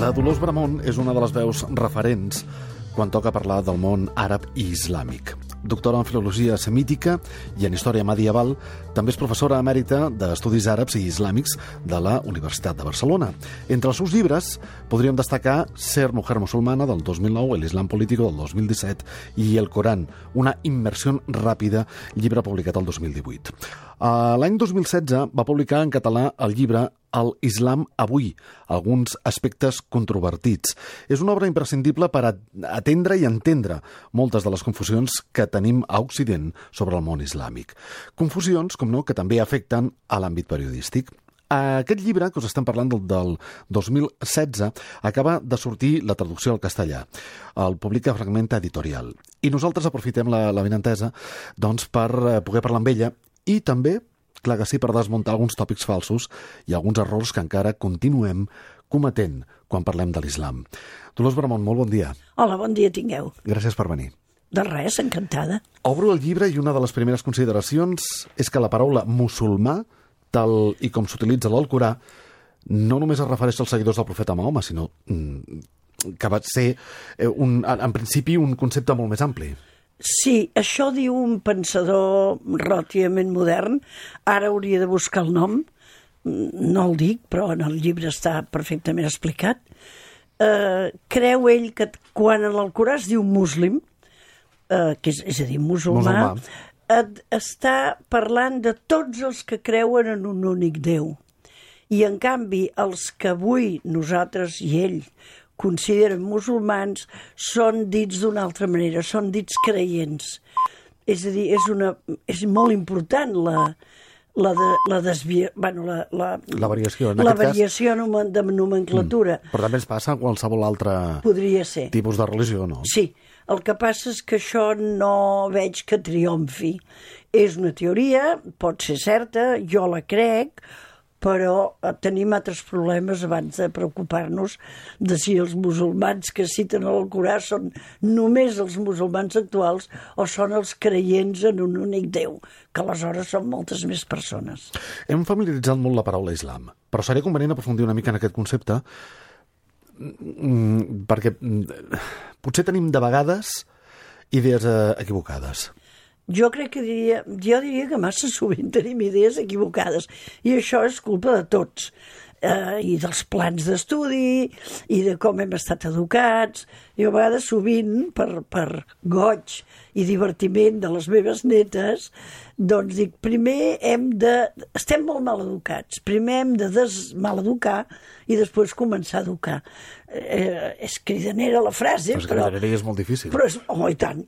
La Dolors Bramon és una de les veus referents quan toca parlar del món àrab i islàmic. Doctora en Filologia Semítica i en Història Medieval, també és professora emèrita d'Estudis Àrabs i Islàmics de la Universitat de Barcelona. Entre els seus llibres podríem destacar Ser mujer musulmana, del 2009, El Islam político, del 2017, i El Corán, una immersió ràpida, llibre publicat el 2018. L'any 2016 va publicar en català el llibre El Islam avui, alguns aspectes controvertits. És una obra imprescindible per atendre i entendre moltes de les confusions que tenim a Occident sobre el món islàmic. Confusions, com no, que també afecten a l'àmbit periodístic. Aquest llibre, que us estem parlant del 2016, acaba de sortir la traducció al castellà. El publica Fragmenta Editorial. I nosaltres aprofitem la benentesa doncs, per poder parlar amb ella i també, clar que sí, per desmuntar alguns tòpics falsos i alguns errors que encara continuem cometent quan parlem de l'islam. Dolors Bramon, molt bon dia. Hola, bon dia tingueu. Gràcies per venir. De res, encantada. Obro el llibre i una de les primeres consideracions és que la paraula musulmà, tal i com s'utilitza a l'Alcorà, no només es refereix als seguidors del profeta Mahoma, sinó que va ser, en principi, un concepte molt més ampli. Sí, això diu un pensador relativament modern. Ara hauria de buscar el nom. No el dic, però en el llibre està perfectament explicat. Creu ell que quan en l'Alcorà es diu muslim, que és a dir, musulmà, està parlant de tots els que creuen en un únic Déu. I, en canvi, els que avui nosaltres i ell consideren musulmans són dits d'una altra manera, són dits creients. És a dir, és molt important la variació, de nomenclatura. Però també ens passa a qualsevol altre tipus de religió, no? Sí, el que passa és que això no veig que triomfi. És una teoria, pot ser certa, jo la crec, però tenim altres problemes abans de preocupar-nos de si els musulmans que citen a l'Alcorà són només els musulmans actuals o són els creients en un únic Déu, que aleshores són moltes més persones. Hem familiaritzat molt la paraula islam, però seria convenient aprofundir una mica en aquest concepte perquè potser tenim de vegades idees equivocades. Jo diria que massa sovint tenim idees equivocades i això és culpa de tots i dels plans d'estudi i de com hem estat educats. Jo a vegades sovint per goig i divertiment de les meves netes doncs dic, primer estem molt mal educats, primer hem de desmaleducar i després començar a educar. És cridanera la frase, però és molt difícil. Però i tant.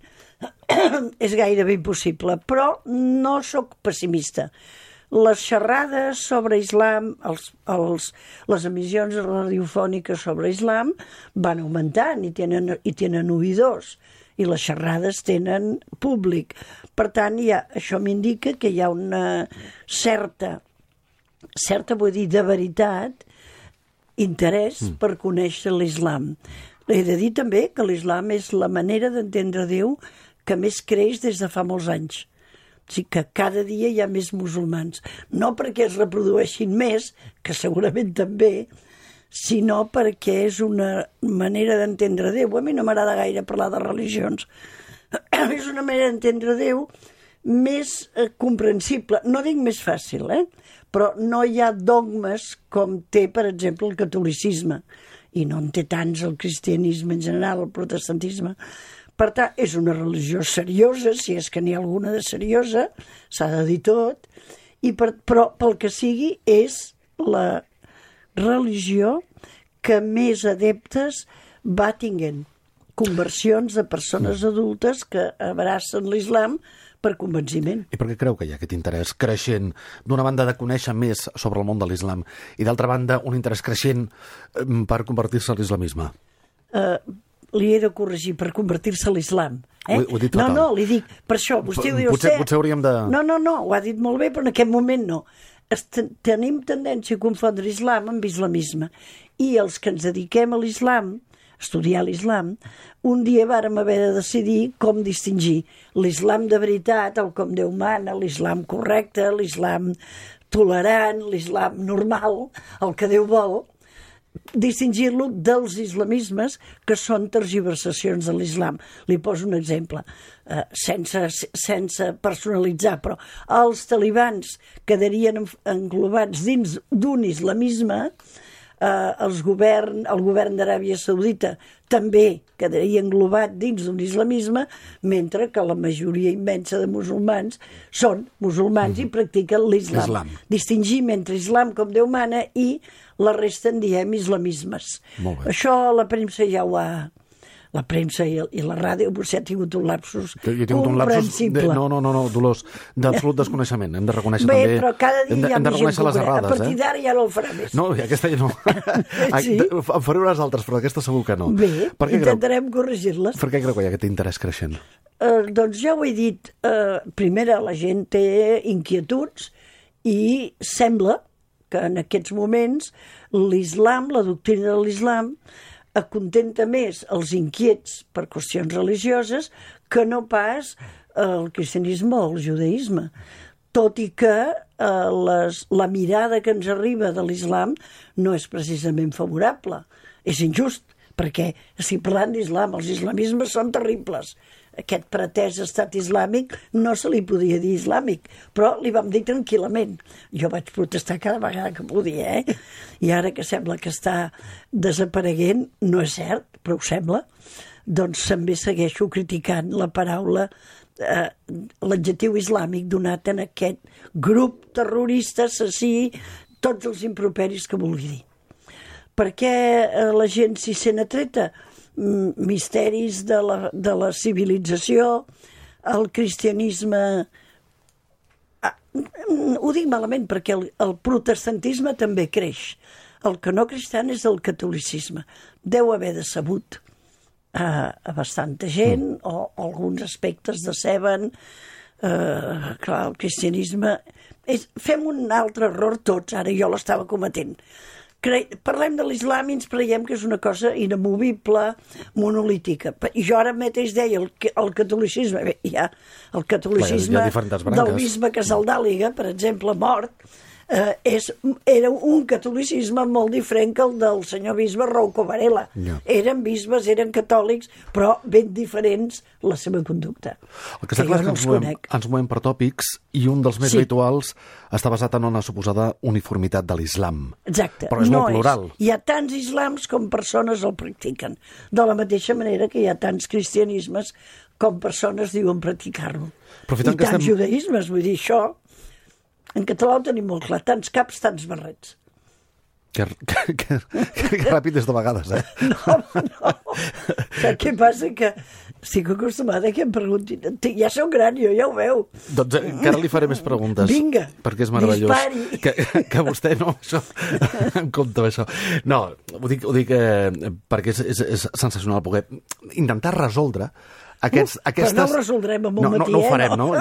És gairebé impossible, però no sóc pessimista. Les xerrades sobre islam, les emissions radiofòniques sobre islam van augmentant i tenen oïdors, i les xerrades tenen públic. Per tant, això m'indica que hi ha una certa, vull dir, de veritat, interès per conèixer l'islam. He de dir també que l'islam és la manera d'entendre Déu que més creix des de fa molts anys. O sigui que cada dia hi ha més musulmans. No perquè es reprodueixin més, que segurament també, sinó perquè és una manera d'entendre Déu. A mi no m'agrada gaire parlar de religions. És una manera d'entendre Déu més comprensible. No dic més fàcil, però no hi ha dogmes com té, per exemple, el catolicisme. I no en té tants el cristianisme en general, el protestantisme. Per tant, és una religió seriosa, si és que n'hi ha alguna de seriosa, s'ha de dir tot, però pel que sigui és la religió que més adeptes va tinguent. Conversions de persones adultes que abracen l'islam per convenciment. I per què creu que hi ha aquest interès creixent, d'una banda de conèixer més sobre el món de l'islam i d'altra banda un interès creixent per convertir-se a l'islamisme? Li he de corregir, per convertir-se a l'islam. Ho he dit fatal. No, li dic, per això, vostè ho diu... Potser hauríem de... No, ho ha dit molt bé, però en aquest moment no. Tenim tendència a confondre islam amb islamisme. I els que ens dediquem a l'islam, a estudiar l'islam, un dia vàrem haver de decidir com distingir l'islam de veritat, el com Déu mana, l'islam correcte, l'islam tolerant, l'islam normal, el que Déu vol, distingir-lo dels islamismes, que són tergiversacions de l'islam. Li poso un exemple, sense personalitzar, però els talibans quedarien englobats dins d'un islamisme, el govern d'Aràbia Saudita també quedaria englobat dins d'un islamisme, mentre que la majoria immensa de musulmans són musulmans i practiquen l'islam. Distingim entre islam com Déu mana i la resta en diem islamismes. Això la premsa ja ho ha... La premsa i la ràdio, vostè ha tingut un lapsus comprensible. No, Dolors, d'absolut desconeixement. Hem de reconèixer també... Bé, però cada dia hi ha més gent les errades. A partir d'ara ja no el farà més. No, aquesta ja no. Sí? En faré unes altres, però aquesta segur que no. Bé, intentarem corregir-les. Per què creu que hi ha aquest interès creixent? Doncs ja ho he dit. Primera, la gent té inquietuds i sembla que en aquests moments l'islam, la doctrina de l'islam, acontenta més els inquiets per qüestions religioses que no pas el cristianisme o el judaïsme. Tot i que la mirada que ens arriba de l'islam no és precisament favorable. És injust, perquè estic parlant d'islam, els islamismes són terribles. Aquest pretès estat islàmic no se li podia dir islàmic, però li vam dir tranquil·lament. Jo vaig protestar cada vegada que podia, I ara que sembla que està desapareguent, no és cert, però ho sembla, doncs també segueixo criticant la paraula, l'adjectiu islàmic donat en aquest grup terrorista, assassí, tots els improperis que vulgui dir. Per què la gent s'hi sent atreta? Misteris de la civilització, el cristianisme... Ho dic malament perquè el protestantisme també creix. El que no creix tant és el catolicisme. Deu haver decebut a bastanta gent, o alguns aspectes deceben. Clar, el cristianisme... Fem un altre error tots, ara jo l'estava cometent. Parlem de l'islam i ens creiem que és una cosa inamovible, monolítica. Jo ara mateix deia el catolicisme. Bé, hi ha el catolicisme del bisbe Casaldàliga, per exemple, mort, era un catolicisme molt diferent que el del senyor bisbe Rouco Varela. Eren bisbes, eren catòlics, però ben diferents la seva conducta. El que està clar és que ens movem per tòpics i un dels més habituals està basat en una suposada uniformitat de l'islam. Exacte. Però és molt plural. Hi ha tants islams com persones el practiquen. De la mateixa manera que hi ha tants cristianismes com persones diuen practicar-lo. I tants judaïsmes, vull dir, això... En català ho tenim molt clar, tants caps, tants barrets. Que ràpid és de vegades, No. Saps què passa? Que estic acostumada que em preguntin. Ja sou gran, jo ja ho veu. Doncs encara li faré més preguntes. Vinga, perquè és meravellós. Dispari. Que vostè no, això, em compta això. No, ho dic perquè és sensacional poder intentar resoldre aquestes... Però no ho resoldrem amb un matí, no ho farem, no?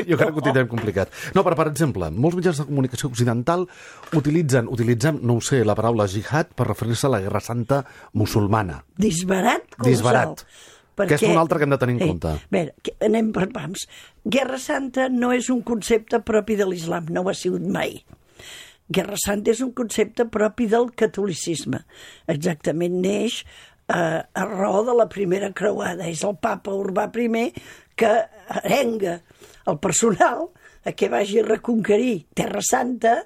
Jo crec que ho tindrem complicat. No, però, per exemple, molts mitjans de comunicació occidental utilitzem, no ho sé, la paraula jihad per referir-se a la Guerra Santa musulmana. Disbarat colossal. Que és un altre que hem de tenir en compte. Bé, anem per pams. Guerra Santa no és un concepte propi de l'islam, no ho ha sigut mai. Guerra Santa és un concepte propi del catolicisme. Exactament neix a raó de la primera creuada. És el papa Urbà I que arenga el personal a que vagi a reconquerir Terra Santa.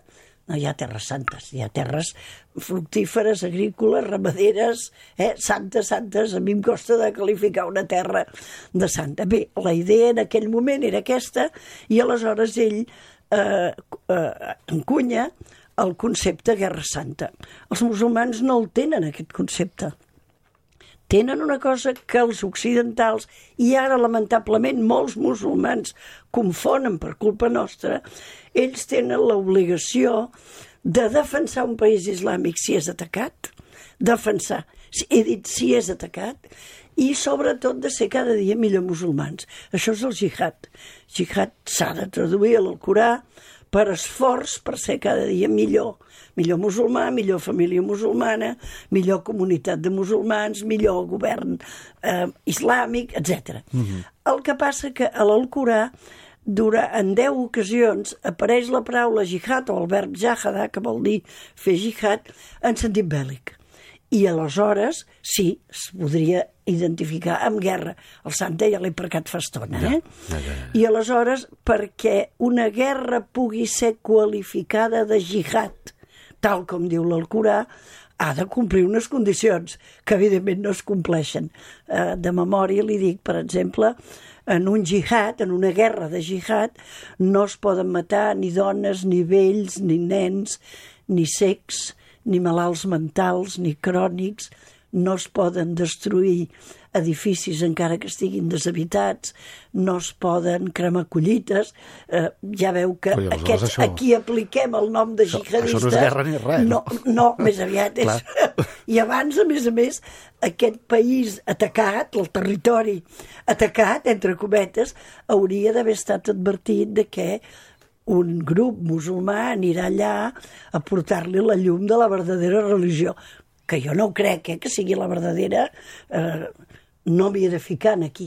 No hi ha terres santes, hi ha terres fructíferes, agrícoles, ramaderes, santes. A mi em costa de qualificar una terra de santa. Bé, la idea en aquell moment era aquesta, i aleshores ell encunya el concepte Guerra Santa. Els musulmans no el tenen, aquest concepte. Tenen una cosa que els occidentals, i ara lamentablement molts musulmans confonen per culpa nostra, ells tenen l'obligació de defensar un país islàmic si és atacat, he dit si és atacat, i sobretot de ser cada dia millor musulmans. Això és el jihad. Jihad s'ha de traduir a l'Alcorà per esforç per ser cada dia millor musulmà, millor família musulmana, millor comunitat de musulmans, millor govern islàmic, etc. El que passa que a l'Alcorà, en 10 ocasions, apareix la paraula jihad o el verb jahada, que vol dir fer jihad, en sentit bèl·lic. I aleshores, sí, es podria identificar amb guerra. El sant ja l'he precat fa estona, eh? I aleshores, perquè una guerra pugui ser qualificada de jihad, tal com diu l'Alcorà, ha de complir unes condicions que evidentment no es compleixen. De memòria li dic, per exemple, en un jihad, en una guerra de jihad, no es poden matar ni dones, ni vells, ni nens, ni cecs, ni malalts mentals, ni crònics, no es poden destruir edificis encara que estiguin deshabitats, no es poden cremar collites. Ja veu que aquí apliquem el nom de jihadistes. Això no és guerra ni res. No, més aviat és... I abans, a més, aquest país atacat, el territori atacat, entre cometes, hauria d'haver estat advertit de que un grup musulmà anirà allà a portar-li la llum de la verdadera religió, que jo no ho crec, que sigui la verdadera, no m'hi he de ficar aquí.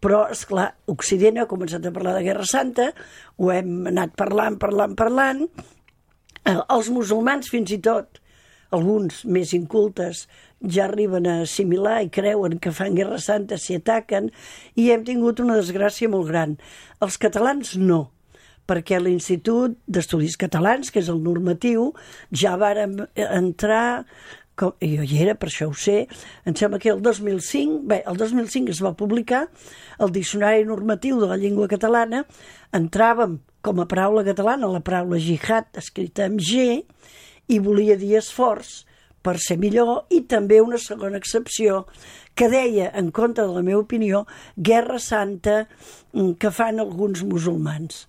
Però, esclar, Occident ha començat a parlar de Guerra Santa, ho hem anat parlant. Els musulmans, fins i tot, alguns més incultes, ja arriben a assimilar i creuen que fan Guerra Santa si ataquen, i hem tingut una desgràcia molt gran. Els catalans no, perquè l'Institut d'Estudis Catalans, que és el normatiu, ja vàrem entrar, jo hi era, per això ho sé, em sembla que el 2005 es va publicar el Diccionari Normatiu de la Llengua Catalana, entràvem com a paraula catalana la paraula jihad, escrita amb G, i volia dir esforç per ser millor, i també una segona excepció que deia, en contra de la meva opinió, Guerra Santa que fan alguns musulmans.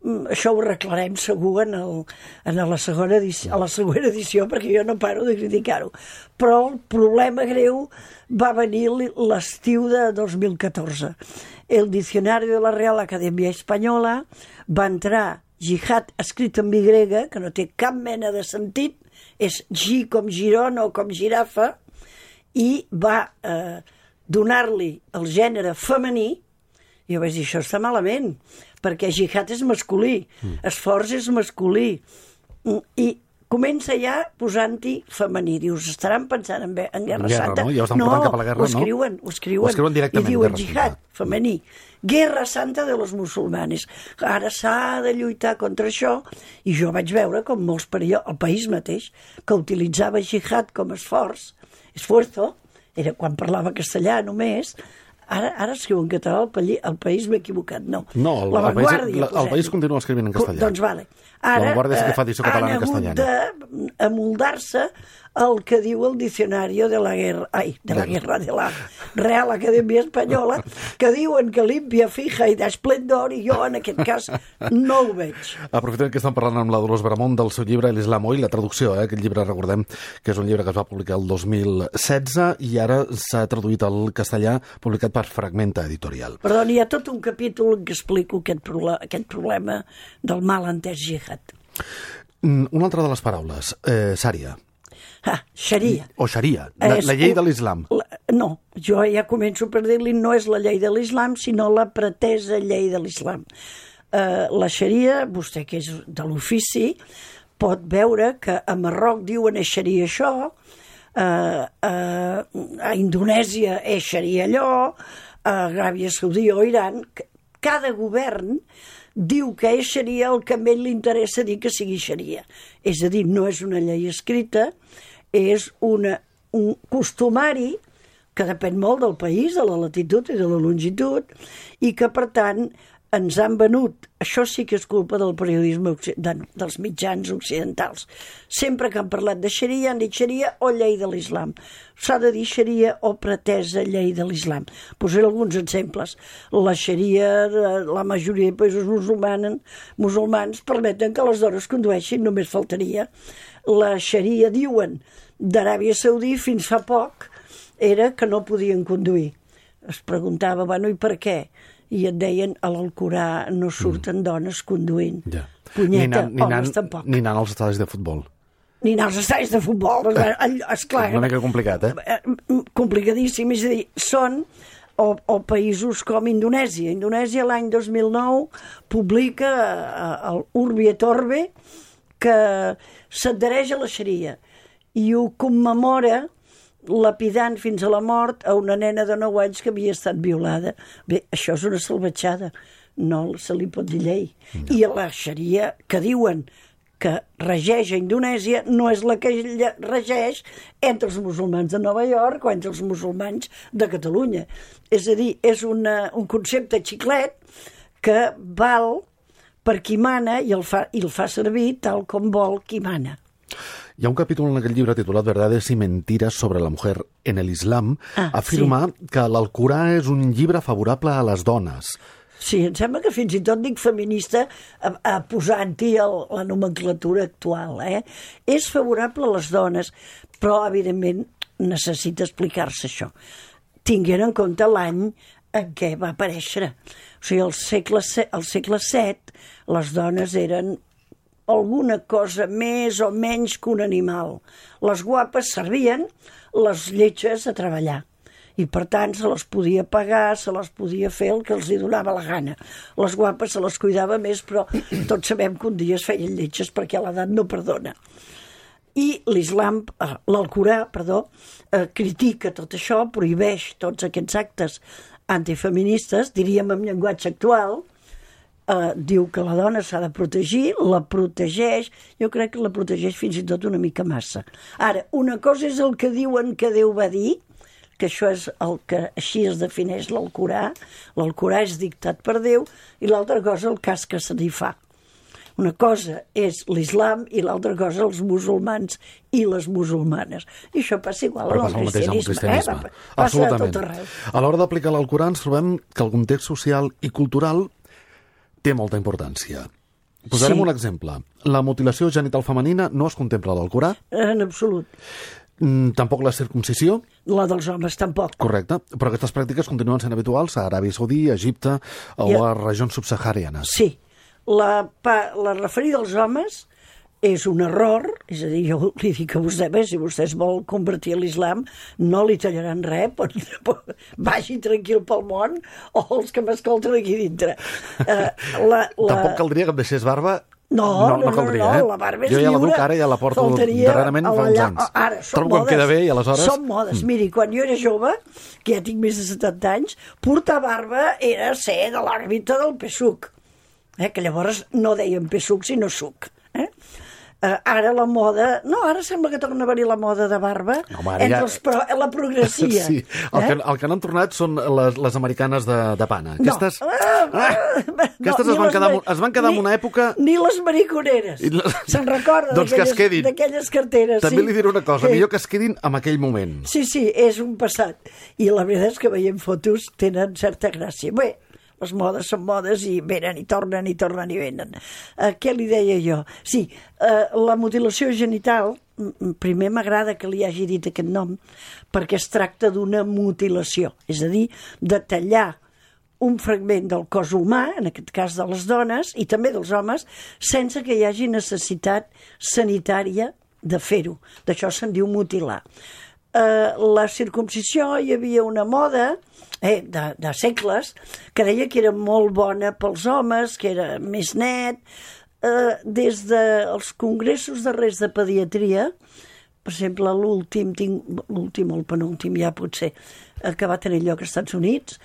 Això ho arreglarem segur a la següent edició, perquè jo no paro de criticar-ho. Però el problema greu va venir l'estiu de 2014. El Diccionari de la Real Acadèmia Espanyola va entrar jihad escrit en Y, que no té cap mena de sentit, és G com Girona o com girafa, i va donar-li el gènere femení. I jo vaig dir, això està malament, perquè jihad és masculí, esforç és masculí, i comença ja posant-hi femení. Dius, estaran pensant en Guerra Santa? No, ja ho estan portant cap a la guerra, no? Ho escriuen directament, i diuen jihad, femení. Guerra Santa de los musulmanes. Ara s'ha de lluitar contra això, i jo vaig veure com molts el país mateix, que utilitzava jihad com esforço, era quan parlava castellà només. Ara escriu en català, el país m'he equivocat, no. No, el país continua escrivint en castellà. Doncs vale. Ara la Vanguardia sí que fa edició catalana i castellana. Han hagut d'amoldar-se el que diu el Diccionari de la Real Acadèmia Espanyola, que diuen que limpia, fija i d'esplendor, i jo en aquest cas no ho veig. Aprofitem que estem parlant amb la Dolors Bramont del seu llibre l'Islam Hoy, la traducció, aquest llibre, recordem que és un llibre que es va publicar el 2016 i ara s'ha traduït al castellà, publicat per Fragmenta Editorial. Perdó, hi ha tot un capítol en què explico aquest problema del mal entès jihad. Una altra de les paraules, Sària. Xaria. O xaria, la llei de l'islam. No, jo ja començo per dir-li no és la llei de l'islam, sinó la pretesa llei de l'islam. La xaria, vostè que és de l'ofici, pot veure que a Marroc diuen és xaria això, a Indonèsia és xaria allò, a Aràbia Saudita o Iran. Cada govern diu que és xaria el que a ell li interessa dir que sigui xaria. És a dir, no és una llei escrita, és un costumari que depèn molt del país, de la latitud i de la longitud, i que, per tant, ens han venut. Això sí que és culpa del periodisme dels mitjans occidentals. Sempre que han parlat de xaria, han dit xaria o llei de l'islam. S'ha de dir xaria o pretesa llei de l'islam. Posaré alguns exemples. La xaria de la majoria de països musulmans permeten que les dones condueixin, només faltaria. La xaria, diuen, d'Aràbia Saudita fins fa poc era que no podien conduir. Es preguntava, bueno, i per què? I et deien, a l'Alcorà no surten dones conduint. Ja. Punyeta, homes tampoc. Ni anant als estadis de futbol. Ni anar als estadis de futbol. Esclar, una mica complicat, complicadíssim. És a dir, són o països com Indonèsia. Indonèsia l'any 2009 publica el Urbi et Orbi que s'adhereix a la xaria i ho commemora lapidant fins a la mort a una nena de 9 anys que havia estat violada. Bé, això és una salvatjada, no se li pot dir llei. I la xaria que diuen que regeix a Indonèsia no és la que regeix entre els musulmans de Nova York o entre els musulmans de Catalunya. És a dir, és un concepte xiclet que val per qui mana i el fa servir tal com vol qui mana. Hi ha un capítol en aquest llibre titulat Verdades y mentiras sobre la mujer en el Islam. Afirma que l'Alcorà és un llibre favorable a les dones. Sí, em sembla que fins i tot dic feminista posant-hi la nomenclatura actual. És favorable a les dones, però, evidentment, necessita explicar-se això. Tinguent en compte l'any en què va aparèixer. O sigui, al segle VII, les dones eren alguna cosa més o menys que un animal. Les guapes servien, les lletges a treballar. I, per tant, se les podia pagar, se les podia fer el que els hi donava la gana. Les guapes se les cuidava més, però tots sabem que un dia es feien lletges perquè l'edat no perdona. I l'Alcorà, critica tot això, prohibeix tots aquests actes antifeministes, diríem en llenguatge actual, diu que la dona s'ha de protegir, la protegeix, jo crec que la protegeix fins i tot una mica massa. Ara, una cosa és el que diuen que Déu va dir, que això és el que així es defineix l'Alcorà. L'Alcorà és dictat per Déu i l'altra cosa el cas que se n'hi fa. Una cosa és l'islam i l'altra cosa els musulmans i les musulmanes. I això passa igual al cristianisme. Passa a tot arreu. A l'hora d'aplicar l'Alcorà ens trobem que el context social i cultural té molta importància. Posarem un exemple. La mutilació genital femenina no es contempla a l'Alcorà? En absolut. Tampoc la circuncisió? La dels homes tampoc. Correcte, però aquestes pràctiques continuen sent habituals a Aràbia Saudí, a Egipte o a regions subsaharianes. Sí. La referida als homes és un error, és a dir, jo li dic a vostè, si vostè es vol convertir a l'islam, no li tallaran res, vagi tranquil pel món, o els que m'escolten aquí dintre. Tampoc caldria que em deixés barba. No, caldria, la barba és lliure. Jo ja la duc ara, ja la porto darrerament fa uns anys. Ara, trobo que em queda bé i aleshores... Són modes. Miri, quan jo era jove, que ja tinc més de 70 anys, portar barba era ser de l'òrbita del PSUC, que llavors no deien PSUC sinó SUC. Ara la moda... No, ara sembla que torna a haver-hi la moda de barba la progressia. Sí, el que n'han tornat són les americanes de pana. Aquestes es van quedar en una època... Ni les mariconeres. Se'n recorda d'aquelles carteres. També li diré una cosa, millor que es quedin en aquell moment. Sí, és un passat. I la veritat és que veiem fotos tenen certa gràcia. Bé, les modes són modes i venen i tornen i tornen i venen. Què li deia jo? Sí, la mutilació genital, primer m'agrada que li hagi dit aquest nom, perquè es tracta d'una mutilació, és a dir, de tallar un fragment del cos humà, en aquest cas de les dones, i també dels homes, sense que hi hagi necessitat sanitària de fer-ho. D'això se'n diu mutilar. La circumcisió, hi havia una moda de segles que deia que era molt bona pels homes, que era més net. Des dels congressos darrers de pediatria, per exemple, l'últim o el penúltim ja potser, que va tenir lloc als Estats Units,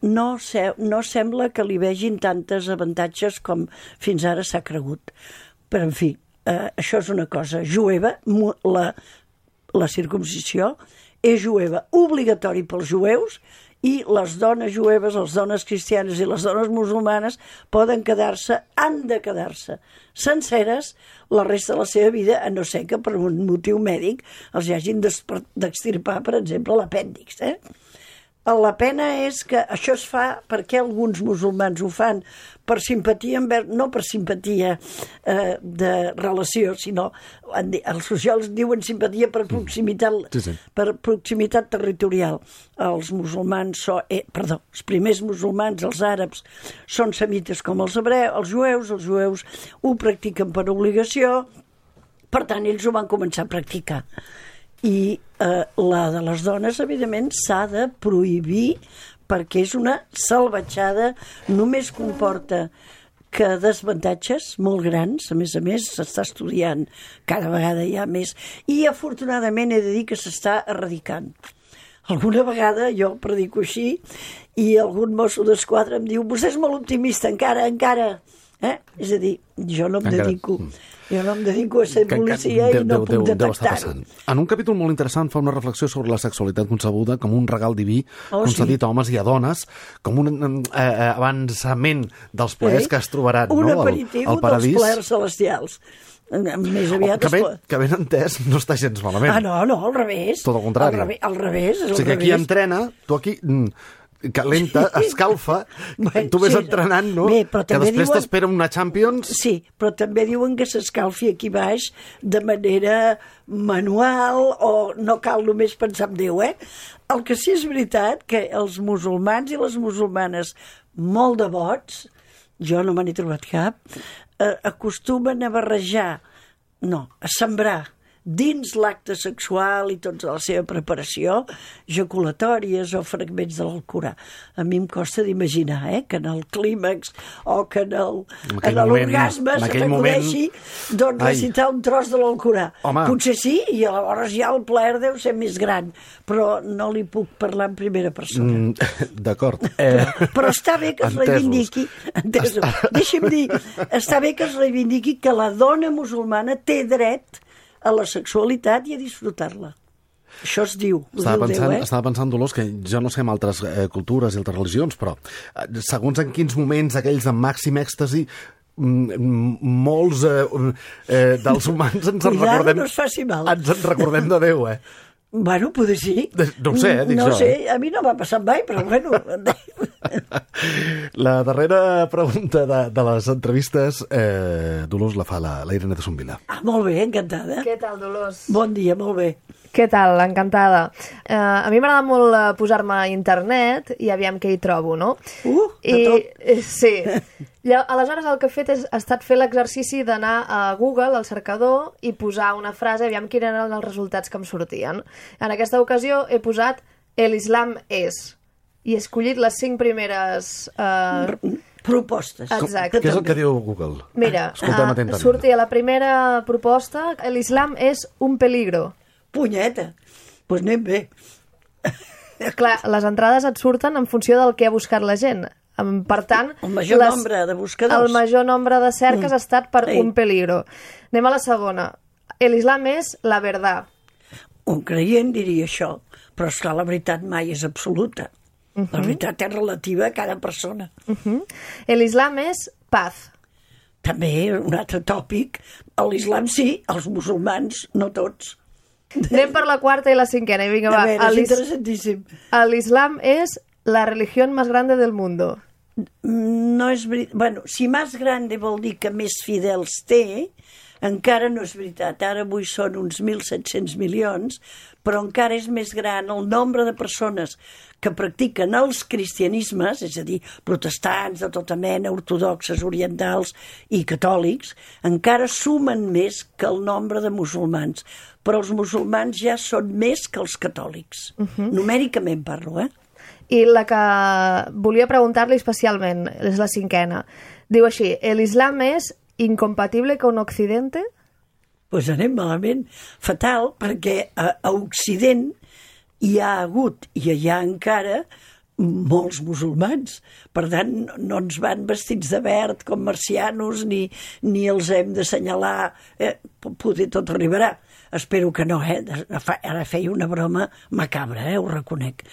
no sembla que li vegin tantes avantatges com fins ara s'ha cregut. Però, en fi, això és una cosa jueva, la circuncisió és jueva, obligatori pels jueus, i les dones jueves, les dones cristianes i les dones musulmanes han de quedar-se senceres la resta de la seva vida, a no ser que per un motiu mèdic els hagin d'extirpar, per exemple, l'apèndix. La pena és que això es fa perquè alguns musulmans ho fan per simpatia, no per simpatia de relació, sinó els socials diuen simpatia per proximitat, per proximitat territorial. Els musulmans, els primers musulmans, els àrabs, són semites com els jueus ho practiquen per obligació, per tant ells ho van començar a practicar. I la de les dones, evidentment, s'ha de prohibir perquè és una salvatjada, només comporta que desavantatges molt grans, a més, s'està estudiant, cada vegada hi ha més, i afortunadament he de dir que s'està erradicant. Alguna vegada jo predico així i algun mosso d'esquadra em diu vostè és molt optimista, encara. És a dir, jo no em dedico a ser policia i no puc detectar-ho. En un capítol molt interessant fa una reflexió sobre la sexualitat concebuda com un regal diví concedit a homes i a dones, com un avançament dels plaers que es trobaran un aperitiu dels plaers celestials. Més aviat que ben entès no està gens malament. No, al revés. Tot el contrari. Al revés. O sigui, aquí entrena, tu aquí calenta, escalfa, tu ves entrenant, no? Bé, que després t'espera una Champions. Sí, però també diuen que s'escalfi aquí baix de manera manual o no cal només pensar en Déu, El que sí és veritat que els musulmans i les musulmanes molt devots, jo no me n'he trobat cap, acostumen a barrejar, a sembrar dins l'acte sexual i tota la seva preparació, ejaculatòries o fragments de l'Alcorà. A mi em costa d'imaginar que en el clímax o que en l'orgasme se t'acudeixi recitar un tros de l'Alcorà. Potser sí, i llavors ja el plaer deu ser més gran, però no li puc parlar en primera persona. D'acord. Però està bé que es reivindiqui, deixi'm dir, està bé que es reivindiqui que la dona musulmana té dret a la sexualitat i a disfrutar-la. Això es diu. Estava pensant, Dolors, que jo no sé en altres cultures i altres religions, però segons en quins moments aquells de màxim èxtasi molts dels humans ens en recordem... no es faci mal. Ens en recordem de Déu, Bueno, potser sí. No ho sé, dic jo. No sé, a mi no m'ha passat mai, però bueno... La darrera pregunta de les entrevistes, Dolors, la fa la Irene de Sombila. Molt bé, encantada. Què tal, Dolors? Bon dia, molt bé. Què tal? Encantada. A mi m'agrada molt posar-me a internet i aviam què hi trobo, no? De tot. Sí. Aleshores el que he fet ha estat fer l'exercici d'anar a Google, al cercador, i posar una frase, aviam quins eren els resultats que em sortien. En aquesta ocasió he posat "El Islam és", i he escollit les 5 primeres... propostes. Exacte. Què és el que diu Google? Mira, sortia sortia la primera proposta: "El Islam és un peligro". Punyeta, doncs anem bé. Clar, les entrades et surten en funció del que ha buscat la gent. Per tant, el major nombre de buscadors. El major nombre de cerques ha estat per un peligro. Anem a la segona. "El Islam és la verdad". Un creient diria això, però esclar, la veritat mai és absoluta. La veritat és relativa a cada persona. "El Islam és paz". També un altre tòpic. L'Islam sí, els musulmans no tots. Anem per la quarta i la cinquena. I vinga, va. A veure, és interessantíssim. "L'Islam és la religión más grande del mundo". No és veritat. Bueno, si més grande vol dir que més fidels té, encara no és veritat. Ara avui són uns 1.700 milions, però encara és més gran el nombre de persones que practiquen els cristianismes, és a dir, protestants de tota mena, ortodoxes, orientals i catòlics, encara sumen més que el nombre de musulmans. Però els musulmans ja són més que els catòlics. Numèricament parlo, I la que volia preguntar-li especialment és la cinquena. Diu així: "¿El Islam es incompatible con Occidente?". Doncs anem malament. Fatal, perquè a Occident hi ha hagut i hi ha encara molts musulmans. Per tant, no ens van vestits de verd com marcianos ni els hem d'assenyalar. Poder tot arribarà. Espero que no, Ara feia una broma macabra, ho reconec.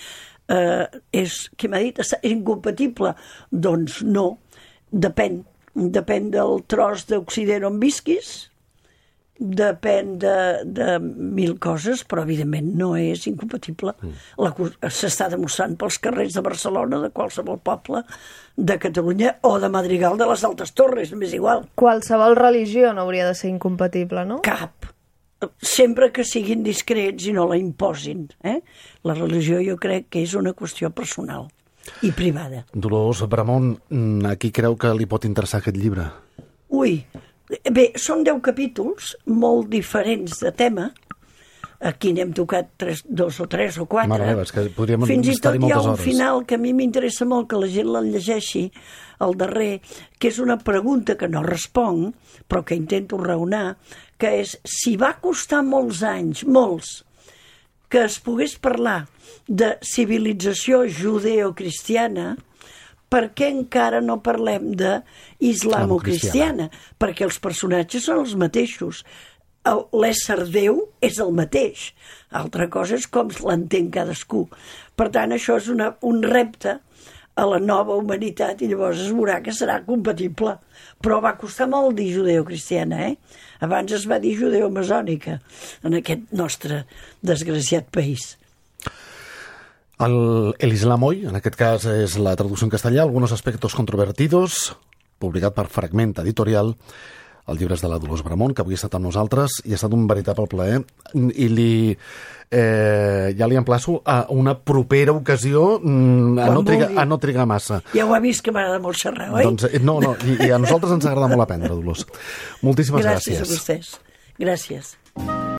Què m'ha dit? És incompatible? Doncs no. Depèn del tros d'Occident on visquis, depèn de 1.000 coses, però evidentment no és incompatible. S'està demostrant pels carrers de Barcelona, de qualsevol poble, de Catalunya o de Madrigal de les Altes Torres, m'és igual. Qualsevol religió no hauria de ser incompatible, no? Cap. Sempre que siguin discrets i no la imposin. La religió jo crec que és una qüestió personal i privada. Dolors Bramont, a qui creu que li pot interessar aquest llibre? Bé, són 10 capítols molt diferents de tema, Aquí n'hem tocat 2 o 3 o 4. Mare meva, és que podríem Fins i tot estar-hi hi ha moltes un hores. final que a mi m'interessa molt que la gent el llegeixi, el darrer, que és una pregunta que no responc, però que intento raonar, que és si va costar molts anys, molts, que es pogués parlar de civilització judeocristiana, per què encara no parlem de islamo-cristiana? Perquè els personatges són els mateixos. L'ésser Déu és el mateix. Altra cosa és com l'entén cadascú. Per tant, això és un repte a la nova humanitat i llavors es veurà que serà compatible. Però va costar molt dir judeocristiana, Abans es va dir judeomasònica en aquest nostre desgraciat país. El Islam hoy, en aquest cas és la traducció en castellà, algunos aspectos controvertidos, publicat per Fragment Editorial. El llibre és de la Dolors Bramont, que avui ha estat amb nosaltres i ha estat un veritable plaer. I ja li emplaço a una propera ocasió a no trigar massa. Ja ho ha vist que m'agrada molt xerrar, oi? Doncs, no, i a nosaltres ens agrada molt aprendre, Dolors. Moltíssimes gràcies. Gràcies a vostès. Gràcies.